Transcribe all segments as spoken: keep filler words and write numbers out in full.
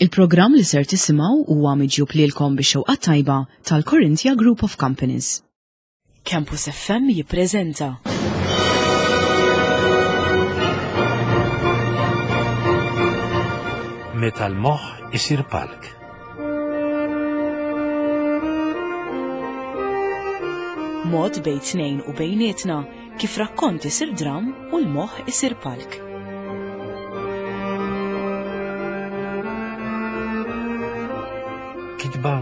Il-programm li ser tisimgħu huwa miġjub lilkom bix-xewqa tajba tal-Corinthia Group of Companies. Campus F M jippreżenta Meta l-moħħ isir palk. Mod bejn tnejn u bejnietna kif rakkont isir dram u l-moħħ isir palk. Kitba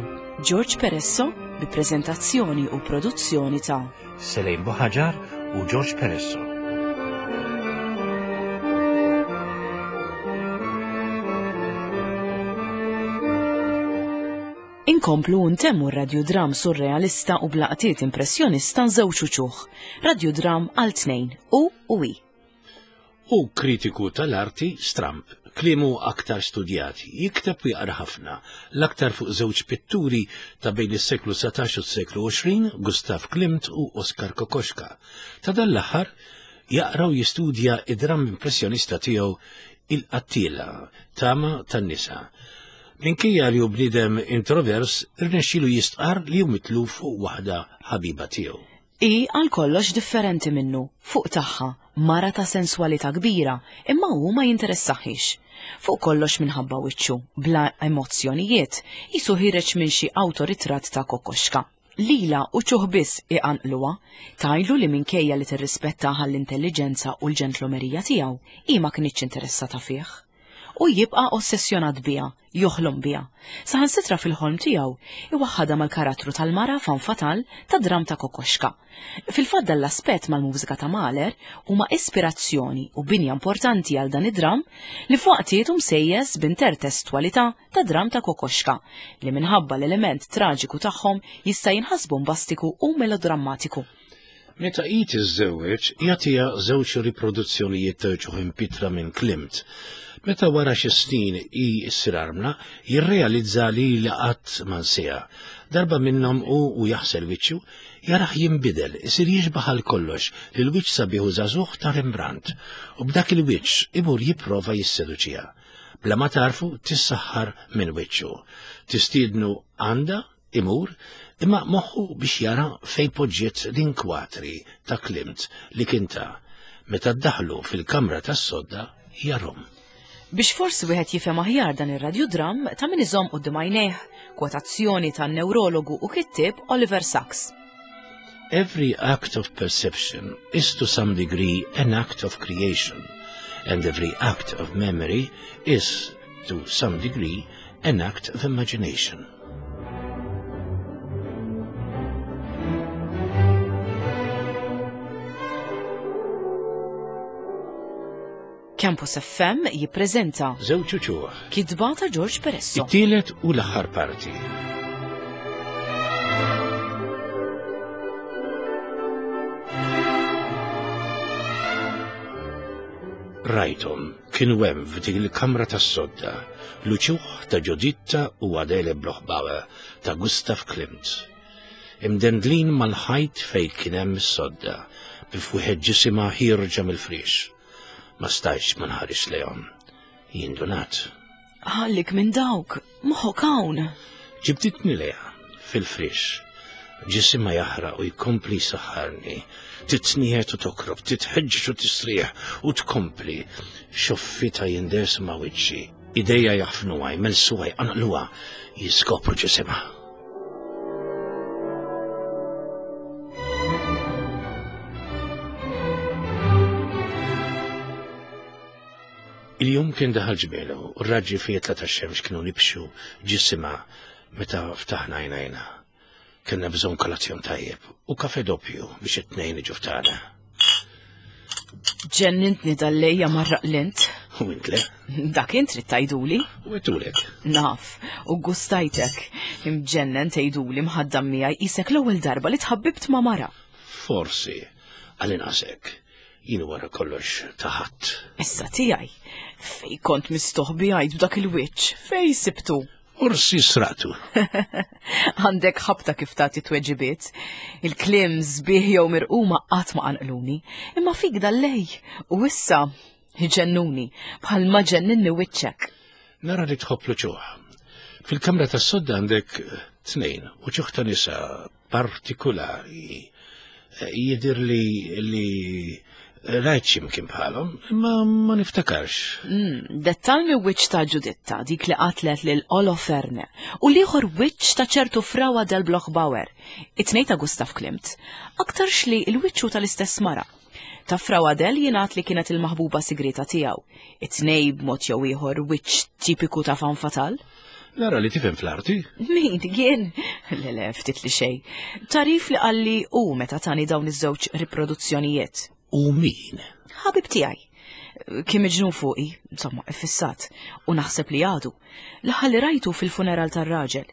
George Peresso bi prezentazzjoni u produzzjoni ta' Selejn Buħaġar u George Peresso. Inkomplu ntemmu r-radjodram surrealista u blaqtiet impressjonista żewġ uċuħ. Radjodram għal tnejn u u i. U kritiku tal-arti stramp, kliemu aktar studjati, jikteb u jaqra ħafna, l-aktar fuq żewġ pitturi ta' bejn is-seklu satax u s-seklu għoxrin, Gustav Klimt u Oskar Kokoschka. Ta' dan l-aħħar jaqra u jistudja id-dram impressjonista tiegħu Il-Qattila, Tama tan-Nisa. Minkejja li hu bniedem introvers, irnexxielu jistqarr li hu mitluf fuq waħda ħabiba tiegħu. I għal kollox differenti minnu, fuq tagħha, mara ta' senswalità kbira, imma hu ma jinteressaħiex. Fuq kollox minħabba wiċċu, bla emozzjonijiet, jisu ħireġ minn xi awtoritratt ta' Kokoschka. Lila u ċuħ biss iqanqluha, tajlu li minkejja li tirrispettaha l-intelligenza u l-ġentlomerija tiegħu, hi ma kinitx interessata fih. U jibqa' ossessjonat biha, joħlom biha. Saħansitra fil-ħolm tiegħu iwaħħadha mal-karattru tal-mara fan fatal ta' dram ta' Kokoschka. Fil-fatt dan l-aspett mal-mużika ta' Mahler huma ispirazzjoni u binja importanti għal dan id-dram li f'waqtiet hu msejjes b'intertestwalità ta' dram ta' Kokoschka li minħabba l-element traġiku tagħhom jista' jinħass bombastiku u melodrammatiku. Meta hi tiżżewweġ, jagħtiha żewġ riproduzzjonijiet ta' ġuħ impitra minn Klimt. Meta wara xi snin hi ssir armla, jirrealizza li li qatt ma nsiha. Darba minnhom hu u jaħsel wiċċu, jarah jinbidel, isir jixbaħ għal kollox lil wiċċ sabiħ u żagħżugħ ta' Rembrandt, u b'dak il-wiċċ imur jipprova jisseduċiha. Bla ma tarfu tissaħħar minn wiċċu. Tistiednu għandha, imur, imma moħħu biex jara fejn poġġiet l-inkwatri ta' Klimt li kien ta' meta ddaħlu fil-kamra tas-sodda jarhom. Biex forsi wieħed jifhem aħjar dan ir-radjodram ta' min iżomm quddiem għajnejh kwotazzjoni tan-neurologu u kittieb Oliver Sacks. Every act of perception is to some degree an act of creation, and every act of memory is to some degree an act of imagination. Campus F M jippreżenta Żewġ uċuħ. Kitba ta' George Peresso. It-tielet u l-aħħar parti. Rajthom kienu hemm f'dik il-kamra tas-sodda, l-uċuħ ta' Ġuditta u Adele Bloch-Bauer ta' Gustav Klimt. Imdendlin mal-ħajt fejn kien hemm is-sodda, bi fwieħed ġisimha ħierġa mill-friex. Ma stajtx ma nħares lejhom. Jindunat. Ħallik minn dawk, moħħok hawn. Ġibditni lejha fil-friex. Ġisimha jaħraq u jkompli jsaħħarni. Titnieħed u tokrob, titħeġġeġ u tistrieħ u tkompli. Xoffita jindes ma' wiċċi. Idejja jaħfnuha, jmelsuha, jqanqluha, jiskopru ġisimha. Il-jum kien daħal ġmielu, u r-raġġi fietla tax-xemx kienu nibxu ġisimha meta ftaħna għajnejna. Kellna bżonn kolazzjon tajjeb u kafe doppju biex it-tnejn iġu ftana. Ġennintni dal-lejja marraq lint. U int le? Dak int trid tgħiduli. U għedtulek. Naf, u gustajtek. Imġennen tgħiduli mħaddam miegħi qisek l-ewwel darba li tħabbibt ma' mara. Forsi, għal-inqas hekk. Jien wara kollox taħat. Issa tiegħi. Fej kont mistoħbi għajt b'dak il-wiċċ, fej sibtu? Forsi sraqtu. Għandek ħabta kif tagħti tweġibiet. Il-kliem sbieħ jew mirquma qatt ma qanqluni, imma fik dal-lej u issa iġennuni bħalma ġenninni wiċċek. Nara li tħobb l-uċuħ. Fil-kamra tas-sodda għandek tnejn, uċuħ ta' nisa partikulari. Jidir li li rajt x'imkien bħalhom, imma ma niftakarx. Mm, Dettalmi wiċċ ta' Ġuditta, dik li qatlet lil Oloferne, u l-ieħor wiċċ ta' ċertu Frau Adele Bloch-Bauer, it-tnejn ta' Gustav Klimt. Aktarx li l-wiċċu tal-istess mara. Ta' Frau Adele jingħad li kienet il-maħbuba sigrita tiegħu. It-tnejn b'mod jew ieħor wiċċ tipiku ta' femme fatale. Nara li tifhem fl-arti? Min, jien? Le, le, ftit li xejn. Tarif li qalli u meta tani dawn iż-żewġ riproduzzjonijiet. U min? Ħabib tiegħi. Kien miġnun fuqi, insomma, iffissat, u naħseb li għadu. L-aħħar li rajtu fil-funeral tar-raġel.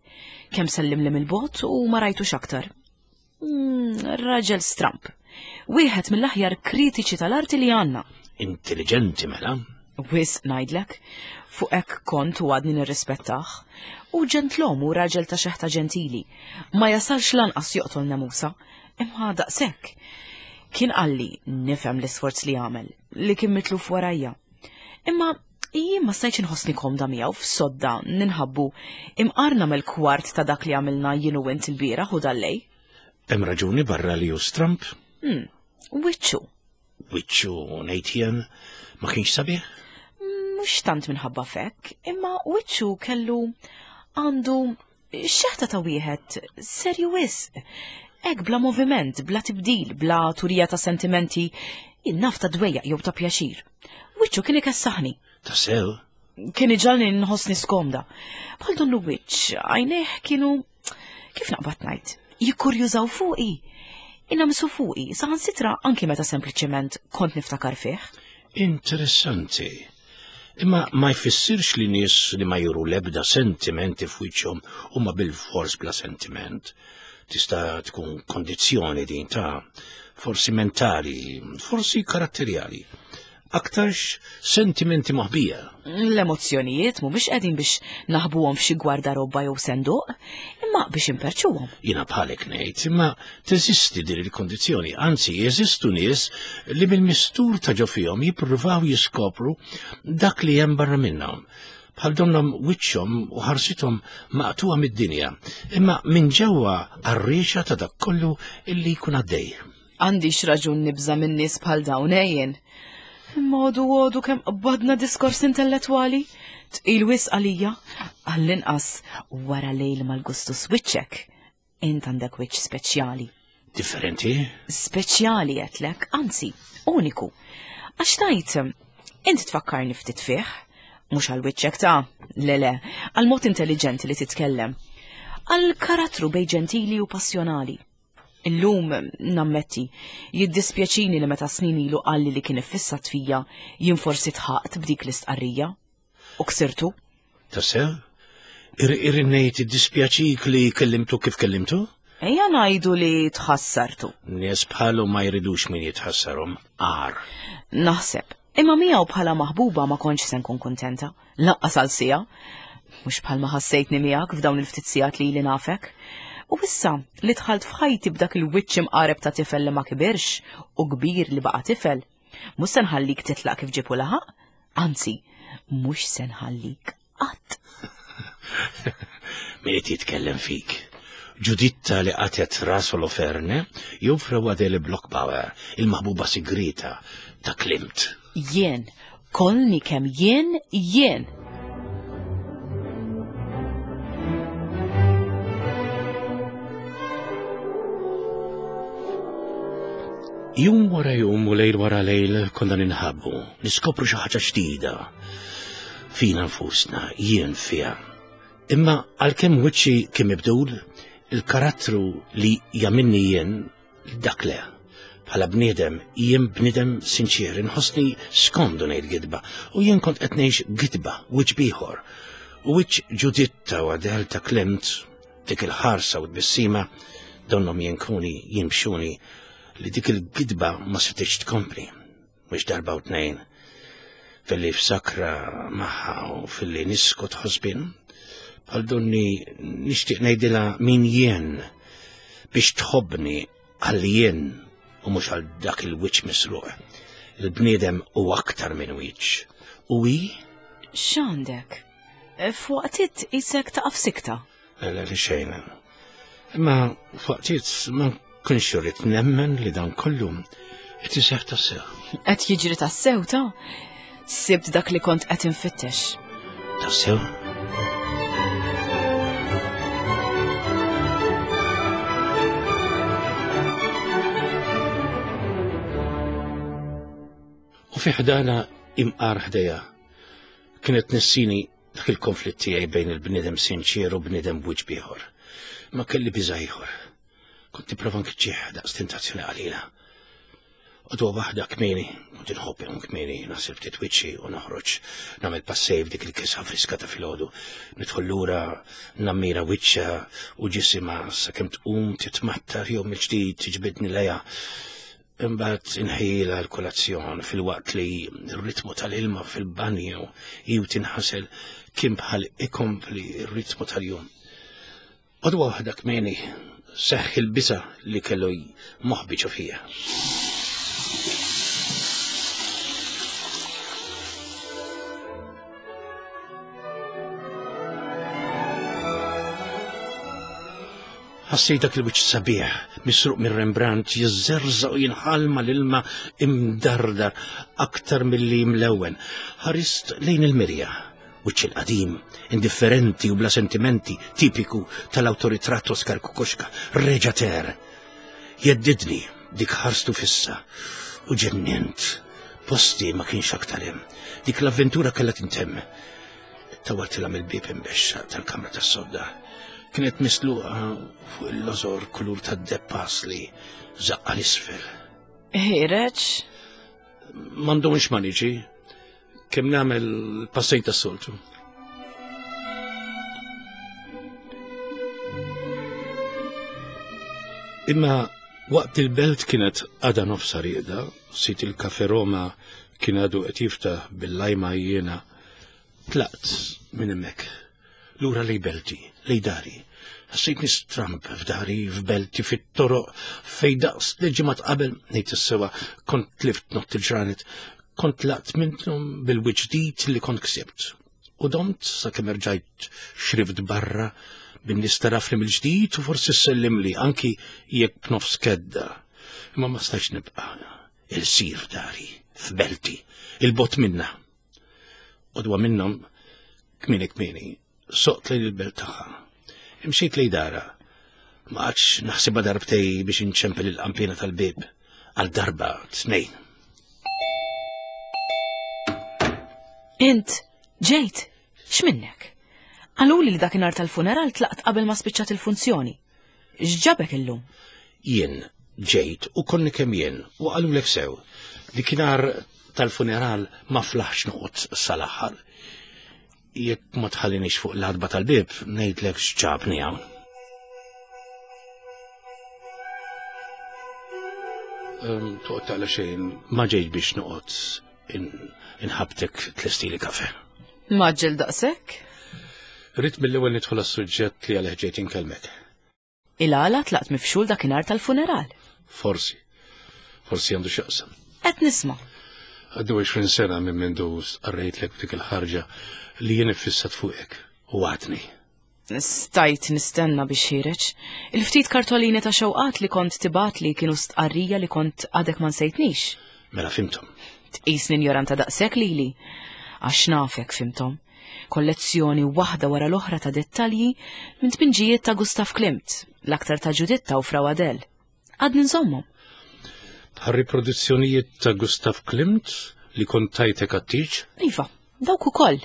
Kemm sellim li mill-bogħod u ma rajtux aktar. Mm, raġel stramp. Wieħed mill-aħjar kritiċi tal-arti li għandna. Intelligenti mela. Wisq ngħidlek, fuq hekk kont u għadni nirrispettah. U ġentlom u raġel ta' xeħta ġentili. Ma jasalx lanqas joqtol nemusa, imma daqshekk. Kien qalli nifhem l-isforz li għamel, li kien mitluf warajja. Imma jien ma stajtx inħossni komda miegħu f'sodda ninħabbu imqar nagħmel kwart ta' dak li għamilna jien u int il-bieraħ u dal-lejl. Hemm raġuni barra li hu stramp? Hmm, wiċċu. Wiċċu ngħid jien ma kienx sabiħ? Mhux tant minħabba fek, imma wiċċu kellu għandu xeħta ta' wieħed serju wisq. Hekk bla moviment, bla tibdil, bla turija ta' sentimenti, naf ta' dwejjaq jew ta' pjaċir. Wiċċu kien ikessaħni. Ta' sew? Kien iġagħalni nħossni skomda. Bħal donnu wiċċ, għajnejh kienu, kif naqbad ngħid, jikkurjużaw fuqi. Inamsu fuqi, saħansitra anki meta sempliċement kont niftakar fih. Interessanti. Imma ma jfissirx li nies li ma juru lebda sentimenti f'wiċċhom huma bil-fors bla sentiment. Tista' tkun kondizzjoni din ta' forsi mentali, forsi karatterjali. Aktarx sentimenti moħbija. L-emozzjonijiet mhumiex qegħdin biex naħbuhom f'xi gwardarobba jew senduq, imma biex imperċuhom. Jiena bħalek ngħid, imma teżisti din il-kondizzjoni, anzi jeżistu nies li bil-mistur ta' ġo fihom jippruvaw jiskopru dak li hemm barra minnhom. Bħal donnhom wiċċhom u ħarsithom maqtuha mid-dinja, imma minn ġewwa għarriexa ta' dak kollu illi jkun għaddej. Għandix raġun nibża' minn nies bħal dawn ejjen. Imma għodu għodu kemm qbadna diskors intellettwali, tqil wisq għalija, għall-inqas wara lejl mal-gustus wiċċek. Int għandek wiċċ speċjali. Differenti? Speċjali għedtlek, anzi, uniku. Għax tajt, int tfakkarni ftit fih, mhux għal wiċċek ta' le le, għal mod intelligenti li titkellem, għal karattru bej ġentili u passjonali. Illum, nammetti, jiddispjaċini li meta snin ilu qalli li kien iffissat fija, jien forsi tħaqt b'dik l-istqarrija. U ksirtu. Tassew? Irrinnejt iddispjaċik li kellimtu kif kellimtu? Ejja ngħidu li tħassartu. Nies bħalu ma jridux min jitħassarhom, għar. Naħseb, imma miegħu bħala maħbuba ma kontx se nkun kuntenta, lanqas għal siegħa. Mhux bħalma ħassejtni miegħek f'dawn il-ftit sigħat li ili nafek. U issa li dħalt f'ħajti b'dak il-wiċċ imqareb ta' tifel li ma kibirx u kbir li baqa' tifel, mhux se nħallik titlaq kif ġibu laħaq, anzi, mhux se nħallik qatt. Min qed jitkellem fik? Ġuditta li qatet ras Oloferne jew Frau Adele Bloch-Bauer, il-maħbuba sigrita ta' Klimt? Jien, kollni kemm jien, jien. Jum wara jum u lejl wara lejl konna ninħabbu, niskopru xi ħaġa ġdida. Fina nfusna, jien fiha. Imma għalkemm wiċċi kien mibdul, il-karattru li jagħmilni jien dak le. Bħala bniedem, jien bniedem sinċir, inħossni skomdu ngħid gidba, u jien kont qed ngħix gidba, wiċċ bieħor. U wiċċ Ġuditta u Adele ta' Klimt, dik il-ħarsa u t-tbissima, donhom jinkuni, jimxuni, li dik il-gidba ma setgħetx tkompli, mhux darba u tnejn. Filli f'sakra magħha u filli niskot ħosbin, bħal donni nixtieq ngħidilha min jien biex tħobbni għal jien u mhux għal dak il-wiċċ misruq. Il-bniedem u aktar minn wiċċ. U hi? X'għandek? F'waqtiet isek taqaf sikta. Le, le, xejn. Imma f'waqtiet ma nkunx irrid nemmen li dan kollu qed iseħħ tassew. Qed jiġri tassew ta' sibt dak li kont qed infittex. Tassew? U fi ħdana imqar ħdejja kienet nessini dak il-konflitt tiegħi bejn il-bniedem sinċier u bniedem b'wiċċ bieħor. Ma kelli biża' ieħor. Kont nipprova nkiċċih daqs tentazzjoni qalila. Għadwa waħda kmieni, kont inħobb inqum kmieni, naħseb ftit wiċċi u noħroġ nagħmel passej f'dik il-kisha friska ta' filgħodu. Nidħol lura nammira wiċċha u ġisimha sakemm tqum titmattar jew mill-ġdid tiġbidni lejha. Imbagħad inħejjilha l-kolazzjon filwaqt li r-ritmu tal-ilma fil-banju jew tinħasel kien bħal ikompli r-ritmu tal-jum. Għadwa waħda kmieni seħħ il-biża' li kellu moħbi ġo fija. Ħassejt dak il-wiċċ sabiħ, misruq minn Rembrandt, jiżżerżaq u jinħall mal-ilma imdardar aktar milli mlewwen. Ħarist lejn il-mirja, wiċċ il-qadim, indifferenti u bla sentimenti, tipiku tal-awtoritratt Oskar Kokoschka, reġa' ter. Jeddidni dik ħarstu fissa u ġennint. Posti ma kienx aktar hemm. Dik l-avventura kellha tintemm. Tawaltilha mill-bieb imbexxa tal-kamra tas-sodda. Kienet misluqa fuq il-lożor kulur tad-deppas li zaqqa l-isfel. Ħireġ? M'għandhomx ma niġi. Kemm nagħmel passejn tas-soltu. Imma waqt il-belt kienet għadha nofsa rieda, sit il-Kafe Roma kien għadu qed jiftaħ bil-lajma jiena, tlaqt minn hemmhekk. Lura lej belti, lej dari. Ħassejtni stramp f'dari, f'belti, fit-toroq, fej daqs li ġimgħat qabel ngħid is-sewa kont tlift nott il-ġranet, kont laqt minnhom bil-wiċċ ġdid li kont ksibt. U domt sakemm erġajt xrift barra bin-nies tarafni mill-ġdid u forsi ssellimli anki jekk b'nofs kedda. Imma ma stajtx nibqa' il-sir f'dari, f'belti, il-bot minna. Qodwa minnhom kmieni kmieni soqt lejn il-belt tagħha. Imxejt lejn dara. Ma qgħadx naħsibha darbtej biex inċempel il-qampina tal-bieb għal darba tnejn. Int ġejt, x'minnek? Qaluli li dakinhar tal-funeral tlaqt qabel ma spiċċat il-funzjoni. X'ġabek illum? Jien ġejt u konni kemm jien u qalulek sew. Dakinhar tal-funeral ma flaħx noqgħod sal-aħħar. Jekk ma tħallinix fuq l-adba tal-bieb, ngħidlek x'ġabni hawn. Toqgħod taqla xejn, ma ġejt biex noqgħod inħabtek tlestili kafe. Maġġel daqshekk? Rrid mill-ewwel nidħol għas-suġġett li għalih ġejt inkellmek. Il-għala tlaqt mifxul dakinhar tal-funeral. Forsi. Forsi għandu x'jaqsam. Qed nisma'. Għaddu għoxrin sena minn mindu stqarrejtlek b'dik il-ħarġa li jien iffissat fuqek u għadni. Stajt nistenna biex ħireġ. Il-ftit kartolini ta' xewqat li kont tibat li kienu stqarrija li kont għadek ma nsejtnix. Mela fimtom. Tqisni injoranta daqshekk lili. Għax nafek fimtom. Kollezzjoni waħda wara l-oħra ta' dettalji minn tpinġijiet ta' Gustav Klimt, l-aktar ta' Ġuditta u Frau Adel. Għadni nżommhom. Bħal riproduzzjonijiet ta' Gustav Klimt li kont tajtek għat-tieġ? Iva, dawk ukoll,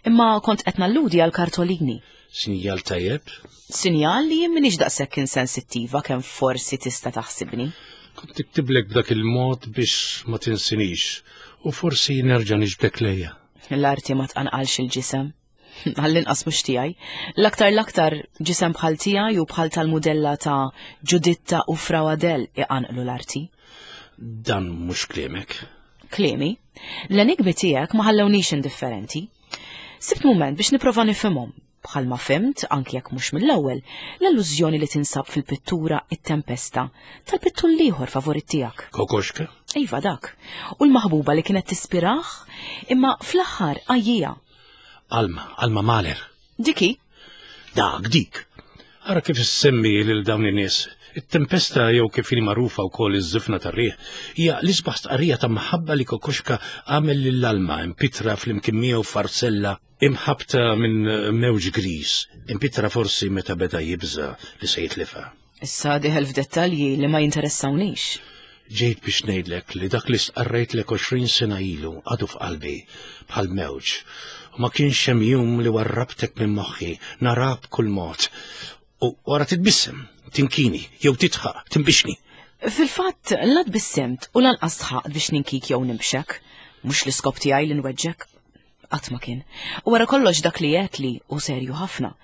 imma kont qed nalludi għal kartolini. Sinjal tajjeb? Sinjal li jien m'iniex daqshekk insensittiva kemm forsi tista' taħsibni. Kont niktiblek b'dak il-mod biex ma tinsinix u forsi nerġa' niġbdek lejja. L-arti ma tqanqalx il-ġisem. Għall-inqas mhux tiegħi. L-aktar l-aktar ġisem bħal tiegħi u bħal tal-mudella ta' Ġuditta u Frau Adel iqanqlu l-arti. Dan mhux kliemek. Kliemi? L-enigmi tiegħek ma ħallewniex indifferenti. Sibt mument biex nipprova nifhimhom. Bħalma fimt, anki jekk mhux mill-ewwel, l-allużjoni li tinsab fil-pittura It-Tempesta tal-pittur l-ieħor favorit tiegħek. Kokoschka? Iva dak. U l-maħbuba li kienet tispirah, imma fl-aħħar għajjija. Alma, Alma Mahler. Diki? Dak, dik. Ara kif issemmi lil dawn in-nies. It-tempesta jew kif inhi magħrufa wkoll iż-żifna tar-riħ hija l-isbaħ stqarrija ta' mħabba li Kokoschka għamel lil Alma impitra flimkien miegħu farsella imħabta minn mewġ gris, impitra forsi meta beda jibża li se jitlifha. Issa diħel f'dettalji li ma jinteressawnix. Ġejt biex ngħidlek li dak li stqarrejtlek għoxrin sena ilu għadu f'qalbi bħal mewġ. U ma kienx hemm jum li warrabtek minn moħħi, nara b'kull mod. U wara titbissem, tinkini, jew titħaq, timbixni. Fil-fatt, la tbissemt u lanqas tħaqt biex ninkik jew nimbxek. Mhux l-iskop tiegħi li nweġġek. Qatt ma kien. U wara kollox dak li għedt li u serju ħafna.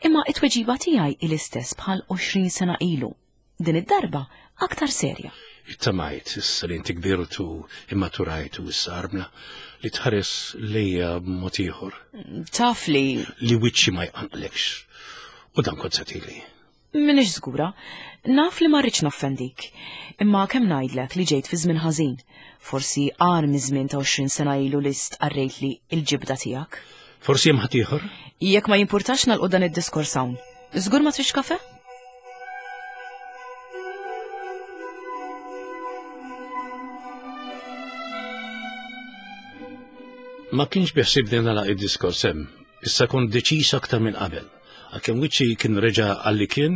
Imma it-tweġiba tiegħi l-istess bħal għoxrin sena ilu. Din id-darba aktar serja. Ittamajt, issa li inti kbirtu, immaturajt u issa armla, li tħares lejja b'mod ieħor. Taf li Li wiċċi ma jqanqlekx. U dan kont satili. Minix żgura, naf li ma rridx noffendik. Imma kemm ngħidlek li ġejt fi żmien ħażin. Forsi għar miż-żmien ta' għoxrin sena ilu li stqarrejt li l-ġibda tiegħek. Forsi hemm ħadd ieħor? Jekk ma jimpurtax nagħlqu dan id-diskors hawn. Żgur ma trix kafe? Ma kienx biħsibni nagħlaq id-diskors hemm. Issa kont deċiż aktar minn qabel. Għalkemm wiċċi kien reġa' għalli kien,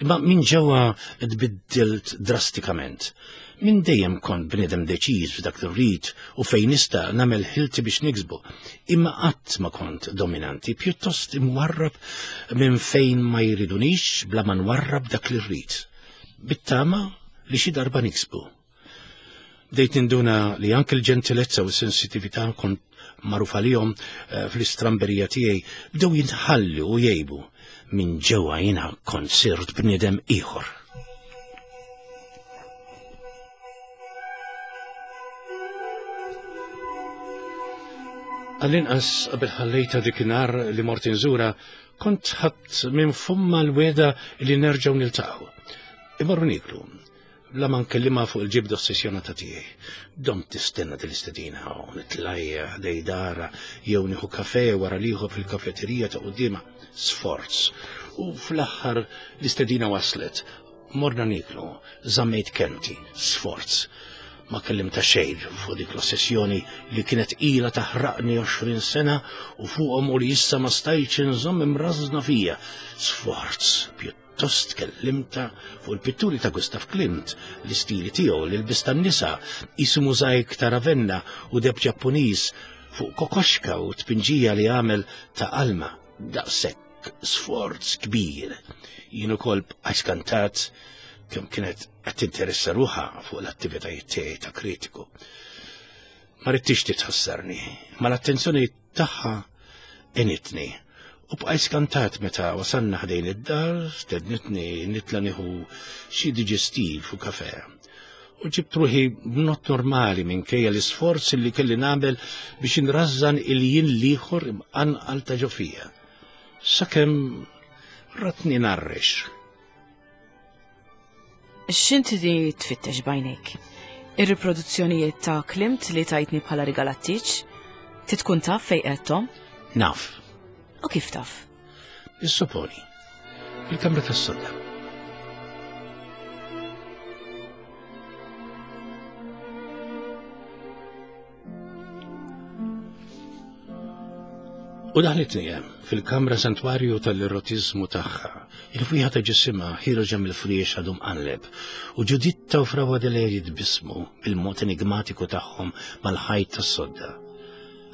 imma minn ġewwa tbiddilt drastikament. Minn dejjem kont bniedem deċiż f'dak li rrid u fejn nista' nagħmel ħilti biex niksbu. Imma qatt ma kont dominanti, pjuttost imwarrab minn fejn ma jridunix bla ma nwarrab dak li rrid. Bittama li xi darba niksbu. Bdejt ninduna li anke l-ġentilezza u s-sensitività kont magħruf għalihom fl-istramberija tiegħi bdew jintħallu u jgħibu. Minn ġewwa jiena kont sirt bniedem ieħor. Għall-inqas qabel ħallejta dik inhar li mort inżura, kont ħadt minn fumma l-weda li nerġgħu niltaqgħu. Imorru nieklu, bla ma nkellimha fuq il-ġibda ossessjonata tiegħi. Dom tistenna dil-istedina u nitlajja ħdej dara jew nieħu kafe wara liħu fil-kafeterija ta' quddiemha. Sforz. U fl-aħħar l-istedina waslet. Morna nieklu, żammejt kelmti, sforz. Ma kellimta xejn fuq dik l-ossessjoni li kienet ilha taħraqni għoxrin sena u fuqhom u li issa ma stajtx inżomm imrażna fija. Sforz, pjuttost kellimta fuq il-pitturi ta' Gustav Klimt, l-istili tiegħu, l-ilbis tan-nisa, qisu mużajk ta' Ravenna u deb Ġappuniż, fuq Kokoschka u tpinġija li għamel ta' Alma. Daqshekk sforz kbir. Jien ukoll bqajt skantat kemm kienet qed tinteressa ruħha fuq l-attivitajiet tiegħi ta' kritiku. Ma ridtix titħassarni, ma l-attenzjoni tagħha għenitni. U bqajt skantat meta wasalna ħdejn id-dar, stednitni nitla nieħu xi diġestiv u kafe. U ġibt ruħi b'not normali minkejja l-isforz li kelli nagħmel biex inrażżan il-jien l-ieħor imqanqal ta' ġofija. Sakemm ratni narrex. X'inti di tfittex bajnejk? Ir-riproduzzjonijiet ta' Klimt li tajtni bħala rigalattiċ? Titkun taf fejn qedthom? Naf. U kif taf? Issoponi. Il-kamra tas-sodda. U daħlitni hemm fil-kamra santwarju tal-erotizmu tagħha. Il-fwieħa ta' ġisimha ħiroġa mill-friex għadu mqalleb u Ġuditta u Fra Baudelaire jitbismu bil-mod enigmatiku tagħhom mal-ħajt tas-sodda.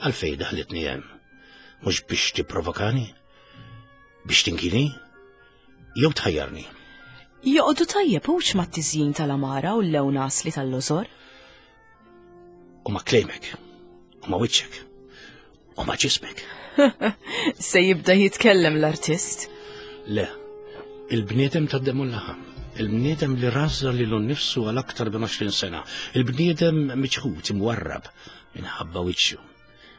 Għalfejn daħlitni hemm? Mhux biex tipprovokani? Biex tinkini? Jew tħajjarni? Joqogħdu tajjeb hux mat-tiżjin tal-amara u l-lewn asli tal-lożor? U ma' klejmek, u ma' wiċċek, u ma' ġismek. Se jibda jitkellem l-artist? Le, il-bniedem tad-demu l-laħam, il-bniedem li razza lilu nnifsu għal aktar minn għoxrin sena, il-bniedem miċħud imwarrab minħabba wiċċu,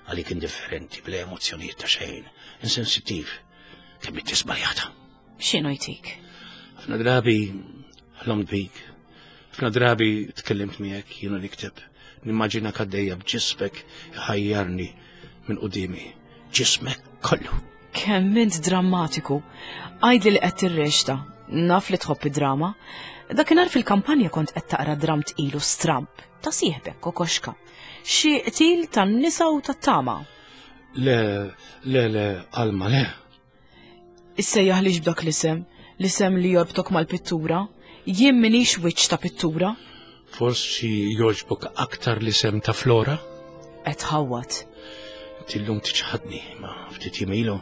għalik indifferenti bla emozzjonijiet ta' xejn, insensittiv, kemm inti żbaljata. X'inhu jtik? Ħafna drabi ħlomt bik, ħafna drabi tkellimt miegħek jienu nikteb, nimmaġina kaddejja b'ġisbek ħajjarni minn qudiemi. ġismek kollu. Kemm int drammatiku. Għidli li qed tirrexta. Naf li tħobb id-drama. Dakinhar fil-kampanja kont qed taqra dram tqil u stramp ta' sieħbek Kokoxka. Xi qtil tan-nisa u tat-tama. Le, le, le, Alma, le. Issejjaħlix b'dak l-isem, l-isem li jorbtok mal-pittura. Jien minix wiċċ ta' pittura. Forsi jogħġbok aktar l-isem ta' Flora? Qed ħawwat. Tillum tiċħadni, ma ftit jimilu,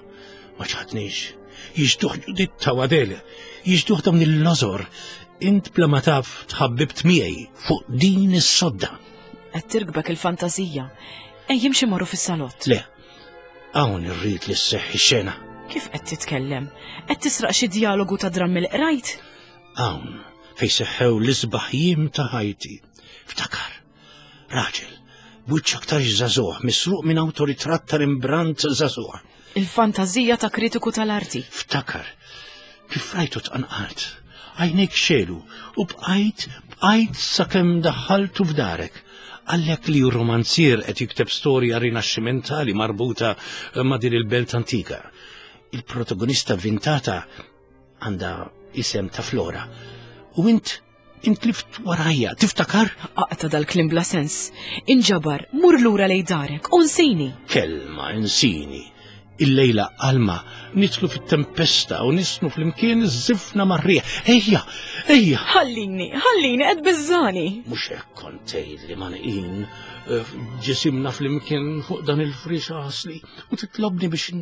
ma ċħadnix. Jiġduħ Ġuditta u Adele, jiġduħ dawn il-lożor. Int bla ma taf tħabbibt miegħi fuq din is-sodda. Qed tirkbek il-fantażija. Ejja imxi morru fis-salott. Le, hawn irrid li sseħħ ix-xena. Kif qed titkellem? Qed tisraq xi dialogu ta' drammi li qrajt? Hawn fejn seħħew l-isbaħ jiem ta' ħajti. Ftakar, raġel, b'wiċċ aktar żagħżugħ, misruq minn awtoritratt ta' Rembrandt żagħżugħ. Il-fantażija ta' kritiku tal-arti. Ftakar, kif rajtu tqanqalt, għajnejk xelu u bqajt, bqajt sakemm daħħaltu f'darek. Għallek li romanzier qed jikteb storja rinaxximentali marbuta ma' din il-belt antika. Il-protagonista vintata għandha isem ta' Flora. U int, int lift warajja, tiftakar? Aqta' dal-klim bla sens. Inġabar, mur lura lej darek, u nsini. Kelma, insini. Illejla Alma, nitlu fit-tempesta u nisnu fl-imkien iż-żifna mar-riħ. Ejja, ejja. Ħallini, ħallini, qed biżżani. Mhux hekk kont tgħid li ma neqin ġisimna fl-imkien fuq dan il-frix għasli u titlobni biex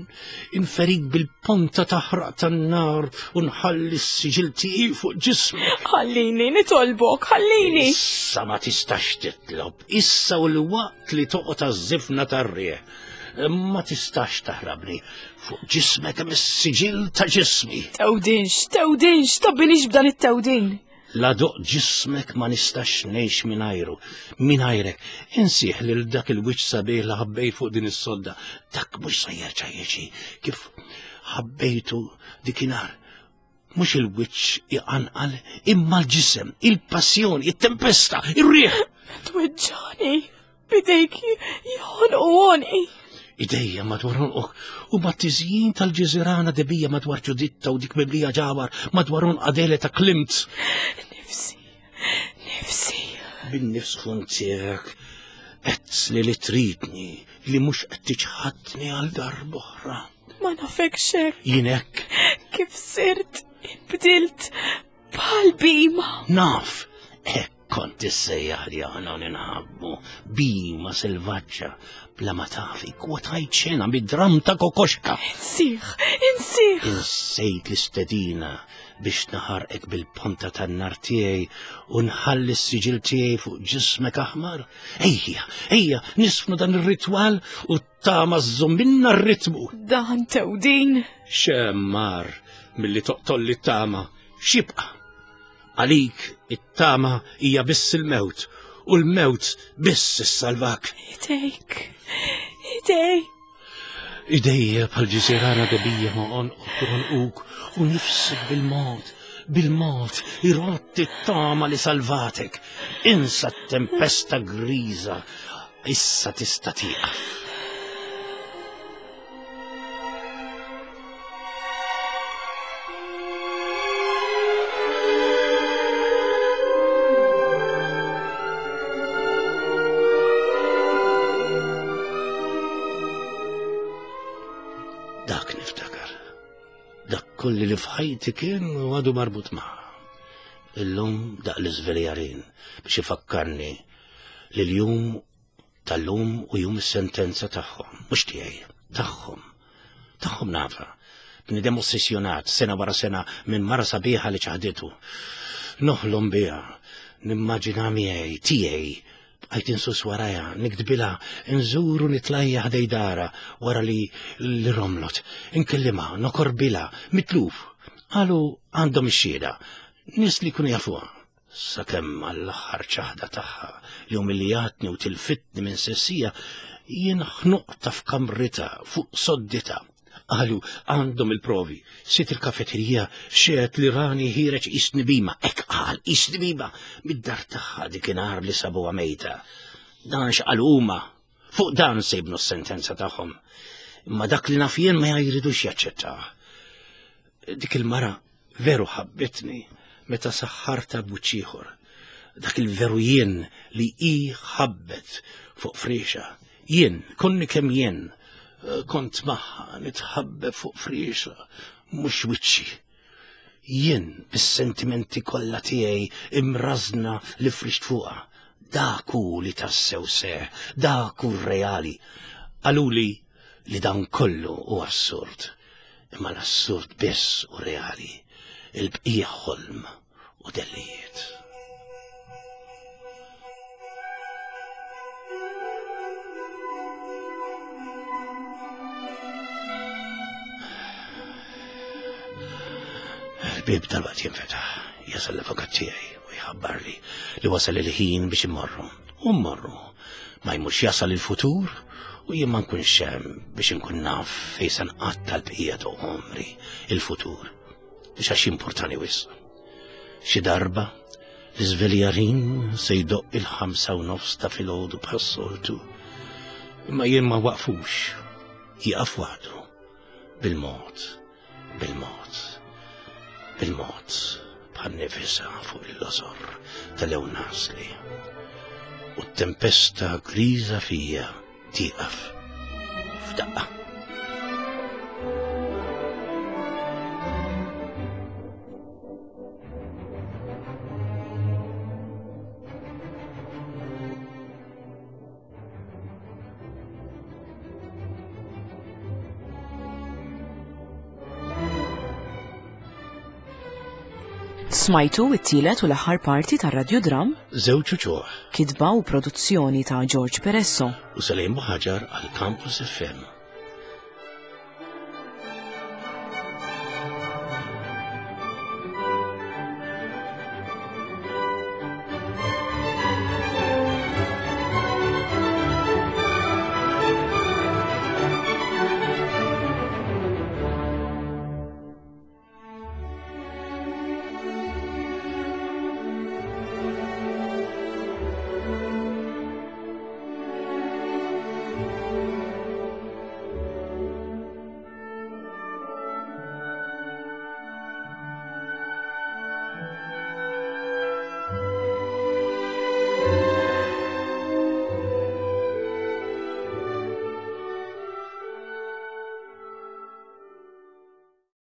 inferik bil-ponta taħraq tan-nar u nħalli s-siġil tiegħi fuq ġismek. Ħallini, nitolbok, ħallini. Issa ma tistax titlob, issa u l-waqt li toqgħod għaż-żifna tar-riħ. Ma tistax taħrabni fuq ġismek hemm is-siġil ta' ġismi. Tewdinx, tewdinx, tabbinix b'dan it-tewdin. La doq ġismek ma nistax ngħix mingħajru, mingħajrek. Insieħ lil dak il-wiċċ sabiħ li ħabbejt fuq din is-sodda. Dak mhux se jerġa' jiġi kif ħabbejtu dikinhar. Mhux il-wiċċ iqanqal, imma l-ġisem, il-passjoni, it-tempesta, ir-riħ. Tweġġani, bidejk joħonqu għonqi. Idejja madwar għonqok u mat-tiżjin tal-ġiżirana debija madwar Ġuditta u dik mimlija ġawar madwar għonq Adele ta' Klimt. Nifsi, nifsi. Bin-nifs ħun tiegħek qed li li tridni li mhux qed tiċħadni għal darb'oħra. Ma nafekx hekk. Jien hekk. Kif sirt, inbdilt bħal bima. Naf, hekk kont issejjaħ li aħna ninħabbu bima selvaġġa bla ma tafi kwotajt xena bid-dram ta' Kokoxka. Insieħ, insieħ. Insejt l-istedina biex naħarqek bil-ponta tan-nar tiegħi u nħalli s-siġil tiegħi fuq ġismek aħmar. Ejja, ejja, nisfnu dan ir-ritwal u tama żżomm r-ritmu. Dan tewdin. Xemmar milli toqtolli t-tama, x'jibqa'? Għalik it-tama hija biss il-mewt u l-mewt biss issalvak. Idejk, idejk. Idejja bħal ġiżirana debija ma' għonqok u għonquk u nifsek bil-mod, bil-mod, irrotti t-tama li salvatek. Insa t-tempesta griża, issa tista' tieqaf. Dak niftakar. Dak kolli li f'ħajti kien u għadu marbut magħha. Illum daq l-iżveljarin biex ifakkarni li l-jum tal-lum u jum is-sentenza tagħhom, mhux tiegħi, tagħhom. Tagħhom nafa. Bniedem ossessjonat sena wara sena minn mara sabiħa li ċaħditu. Noħlom biha, nimmaġina miegħi, tiegħi. Bqajt insus warajha, nikdbilha, nżuru nitlajja ħdej dara wara li li romlot, inkellimha, nokorbilha, mitluf. Qalu għandhom ix-xhieda, nies li jkunu jafuha. Sakemm għall-aħħar ċaħda tagħha li umiljatni u tilfitni minn sessija, jien ħnuqta f'kamritha fuq soddita. Qalu għandhom il-provi. Sit il-kafeterija xeħet li rani ħireġ isni bima, hekk qal isni bima, mid-dar tagħha dikinhar li sabuha mejta. Dan x'qalu huma, fuq dan se jibnu s-sentenza tagħhom. Imma dak li naf jien ma jridux jaċċettah. Dik il-mara veru ħabbitni meta saħħarta b'wiċċ ieħor. Dak il-veru jien li hi ħabbet fuq frixa. Jien, konni kemm jien, kont magħha nitħabbeb fuq frixa, mhux wiċċi. Jien bis-sentimenti kollha tiegħi imrażna li frixt fuqha. Dak hu li tassew seħ, dak hu reali. Qaluli li dan kollu hu assurd, imma l-assurd biss hu reali, il-bqija ħolm u dellijiet. Il-bieb tal-waqt jinfetaħ, jasal l-avukat tiegħi u jħabbarli li wasal il-ħin biex immorru. U mmorru. Ma jmurx jasal il-futur u jien ma nkunx hemm biex inkun naf fejn se nqatta' l-bqija ta' għomri il-futur. Biex għax importani wisq. Xi darba l-iżveljarin se jdoqq il-ħamsa u nofs ta' filgħodu bħas-soltu. Imma jien ma waqfux. Jieqaf waħdu. Bil-mod, bil-mod, bil-mod, bħal nifisa fuq il-lożor tal-lewn nasli. U t-tempesta griża fija tieqaf f'daqqa. Smajtu it-tielet u l-aħħar parti tar-radjodram Żewġ uċuħ kitba u produzzjoni ta' George Peresso. u Salim Ħaġar għal Campus F M.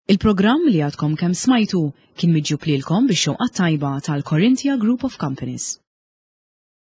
Il-programm li għadkom kemm smajtu kien miġjub lilkom bix-xewqa tajba tal-Corinthia Group of Companies.